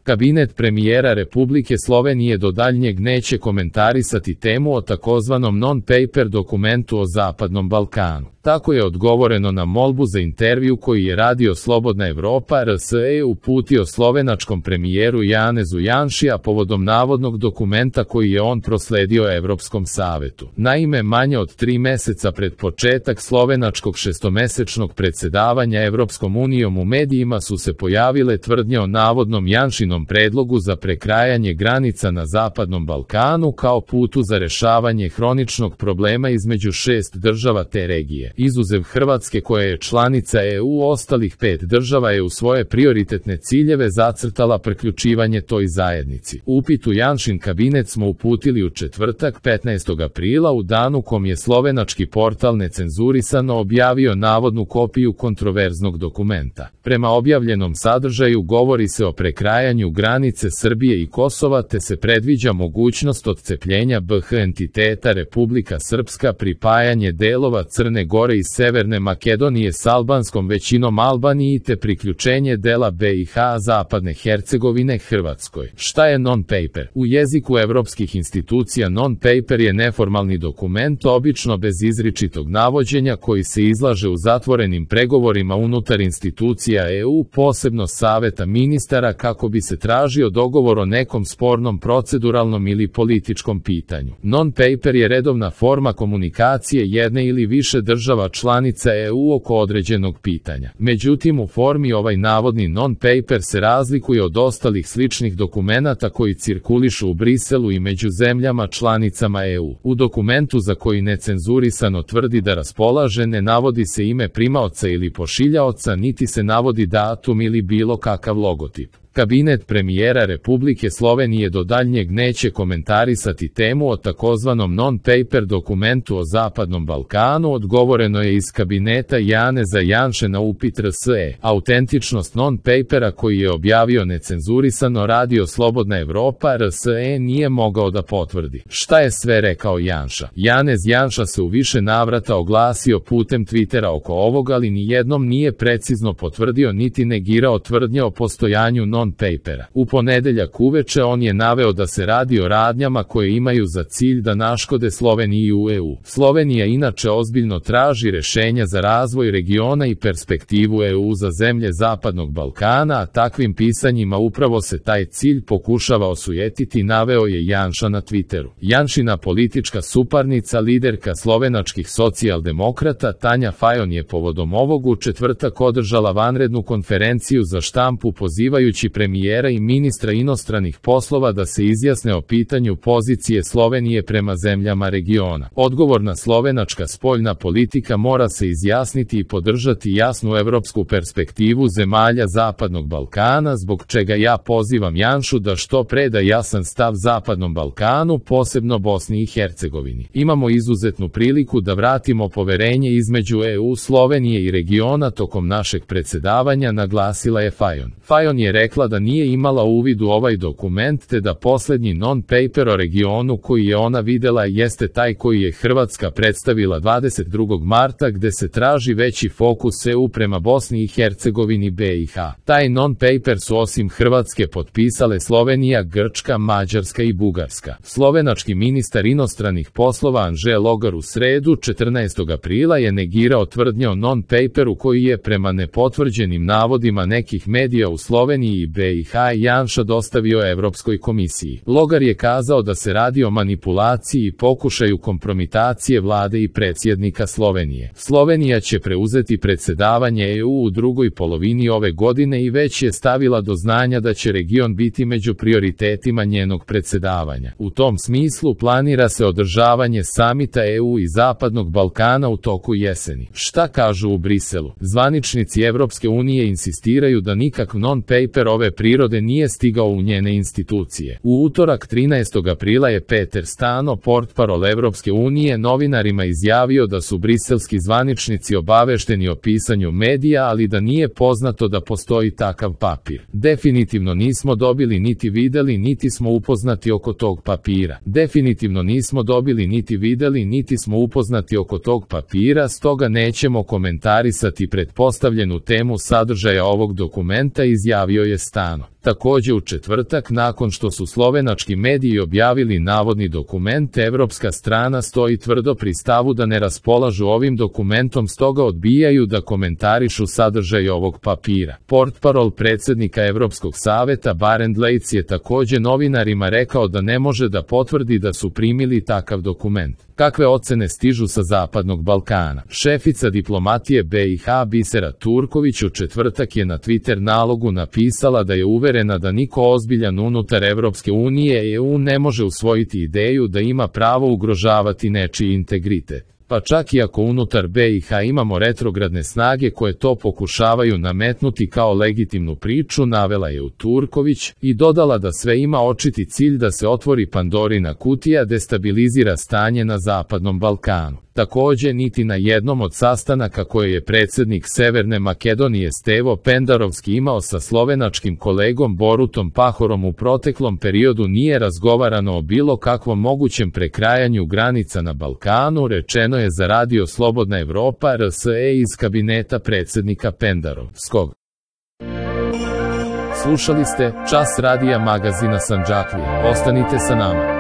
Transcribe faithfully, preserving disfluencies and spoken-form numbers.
Kabinet premijera Republike Slovenije do daljnjeg neće komentarisati temu o takozvanom non-paper dokumentu o Zapadnom Balkanu. Tako je odgovoreno na molbu za intervju koji je Radio Slobodna Evropa R S E uputio slovenačkom premijeru Janezu Janši, a povodom navodnog dokumenta koji je on prosledio Evropskom savetu. Naime, manje od tri meseca pred početak slovenačkog šestomesečnog predsjedavanja Evropskom unijom u medijima su se pojavile tvrdnje o navodnom Janšinom predlogu za prekrajanje granica na Zapadnom Balkanu kao putu za rešavanje hroničnog problema između šest država te regije. Izuzev Hrvatske koja je članica E U, ostalih pet država je u svoje prioritetne ciljeve zacrtala priključivanje toj zajednici. Upit u Janšin kabinet smo uputili u četvrtak petnaestog aprila, u danu kom je slovenački portal Necenzurisano objavio navodnu kopiju kontroverznog dokumenta. Prema objavljenom sadržaju govori se o prekrajanju granice Srbije i Kosova, te se predviđa mogućnost odcepljenja B H entiteta Republika Srpska, pripajanje delova Crne Gore i Severne Makedonije s albanskom većinom Albaniji, te priključenje dela B i H Zapadne Hercegovine Hrvatskoj. Šta je non-paper? U jeziku evropskih institucija non-paper je neformalni dokument, obično bez izričitog navođenja, koji se izlaže u zatvorenim pregovorima unutar institucija E U, posebno Saveta ministara, kako bi se tražio dogovor o nekom spornom proceduralnom ili političkom pitanju. Non-paper je redovna forma komunikacije jedne ili više država članica E U oko određenog pitanja. Međutim, u formi ovaj navodni non-paper se razlikuje od ostalih sličnih dokumenata koji cirkulišu u Briselu i među zemljama članicama E U. U dokumentu, za koji Necenzurisano tvrdi da raspolaže, ne navodi se ime primaoca ili pošiljaoca, niti se navodi datum ili bilo kakav logotip. Kabinet premijera Republike Slovenije do daljnjeg neće komentarisati temu o takozvanom non-paper dokumentu o Zapadnom Balkanu, odgovoreno je iz kabineta Janeza Janše na upit R S E. Autentičnost non-papera koji je objavio Necenzurisano Radio Slobodna Evropa R S E nije mogao da potvrdi. Šta je sve rekao Janša? Janez Janša se u više navrata oglasio putem Twittera oko ovoga, ali ni jednom nije precizno potvrdio niti negirao tvrdnje o postojanju non papera. U ponedeljak uveče on je naveo da se radi o radnjama koje imaju za cilj da naškode Sloveniji u E U. Slovenija inače ozbiljno traži rešenja za razvoj regiona i perspektivu E U za zemlje Zapadnog Balkana, a takvim pisanjima upravo se taj cilj pokušava osujetiti, naveo je Janša na Twitteru. Janšina politička suparnica, liderka slovenačkih socijaldemokrata Tanja Fajon je povodom ovog u četvrtak održala vanrednu konferenciju za štampu pozivajući premijera i ministra inostranih poslova da se izjasne o pitanju pozicije Slovenije prema zemljama regiona. Odgovorna slovenačka spoljna politika mora se izjasniti i podržati jasnu evropsku perspektivu zemalja Zapadnog Balkana, zbog čega ja pozivam Janšu da što pre da jasan stav Zapadnom Balkanu, posebno Bosni i Hercegovini. Imamo izuzetnu priliku da vratimo poverenje između E U, Slovenije i regiona tokom našeg predsjedavanja, naglasila je Fajon. Fajon je rekla da nije imala uvid u ovaj dokument, te da posljednji non-paper o regionu koji je ona videla jeste taj koji je Hrvatska predstavila dvadeset drugog marta, gde se traži veći fokus E U prema Bosni i Hercegovini B i H. Taj non-paper su osim Hrvatske potpisale Slovenija, Grčka, Mađarska i Bugarska. Slovenački ministar inostranih poslova Anže Logar u sredu četrnaestog aprila je negirao tvrdnje o non-paperu koji je prema nepotvrđenim navodima nekih medija u Sloveniji i B i H Janša dostavio Evropskoj komisiji. Logar je kazao da se radi o manipulaciji i pokušaju kompromitacije vlade i predsjednika Slovenije. Slovenija će preuzeti predsjedavanje E U u drugoj polovini ove godine i već je stavila do znanja da će region biti među prioritetima njenog predsjedavanja. U tom smislu planira se održavanje samita E U i Zapadnog Balkana u toku jeseni. Šta kažu u Briselu? Zvaničnici Evropske unije insistiraju da nikakav non-paper ove prirode nije stigao u njene institucije. U utorak trinaestog aprila je Peter Stano, portparol Evropske unije, novinarima izjavio da su briselski zvaničnici obavešteni o pisanju medija, ali da nije poznato da postoji takav papir. Definitivno nismo dobili niti videli niti smo upoznati oko tog papira. Definitivno nismo dobili niti videli niti smo upoznati oko tog papira, stoga nećemo komentarisati pretpostavljenu temu sadržaja ovog dokumenta, izjavio je neprestano. Takođe u četvrtak, nakon što su slovenački mediji objavili navodni dokument, evropska strana stoji tvrdo pri stavu da ne raspolažu ovim dokumentom, stoga odbijaju da komentarišu sadržaj ovog papira. Portparol predsednika Evropskog saveta Barend Leitz je takođe novinarima rekao da ne može da potvrdi da su primili takav dokument. Kakve ocene stižu sa Zapadnog Balkana? Šefica diplomatije B i H Bisera Turković u četvrtak je na Twitter nalogu napisala da je uverena da niko ozbiljan unutar Evropske unije i E U ne može usvojiti ideju da ima pravo ugrožavati nečiji integritet. Pa čak i ako unutar B i H imamo retrogradne snage koje to pokušavaju nametnuti kao legitimnu priču, navela je u Turković i dodala da sve ima očiti cilj da se otvori Pandorina kutija, destabilizira stanje na Zapadnom Balkanu. Takođe, niti na jednom od sastanaka koje je predsednik Severne Makedonije Stevo Pendarovski imao sa slovenačkim kolegom Borutom Pahorom u proteklom periodu nije razgovarano o bilo kakvom mogućem prekrajanju granica na Balkanu, rečeno je za Radio Slobodna Evropa R S E iz kabineta predsednika Pendarovskog. Slušali ste Čas radija magazina Sandžaklija. Ostanite sa nama.